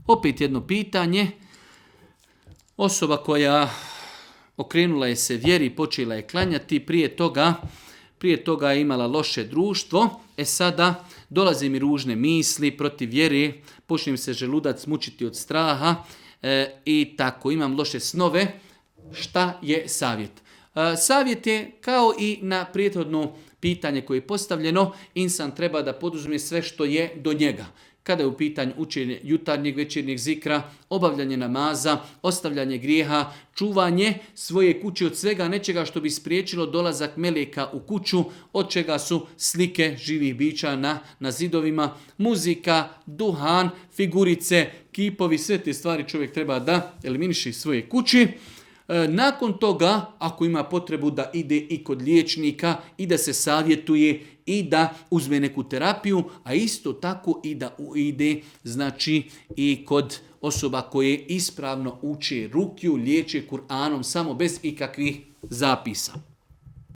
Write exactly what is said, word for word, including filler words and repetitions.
Opet jedno pitanje. Osoba koja okrenula je se vjeri, počela je klanjati, prije toga, prije toga je imala loše društvo, e sada dolaze mi ružne misli protiv vjere, počne mi se želudac mučiti od straha e, i tako, imam loše snove. Šta je savjet? E, savjet je kao i na prethodno pitanje koje je postavljeno, insan treba da poduzme sve što je do njega. Kada je u pitanju učenje jutarnjeg, večernjeg zikra, obavljanje namaza, ostavljanje grijeha, čuvanje svoje kuće od svega nečega što bi spriječilo dolazak meleka u kuću, od čega su slike živih bića na, na zidovima, muzika, duhan, figurice, kipovi, sve te stvari čovjek treba da eliminiše iz svoje kući. Nakon toga, ako ima potrebu da ide i kod liječnika i da se savjetuje i da uzme neku terapiju, a isto tako i da ide znači i kod osoba koje ispravno uče rukju, liječe Kur'anom samo bez ikakvih zapisa.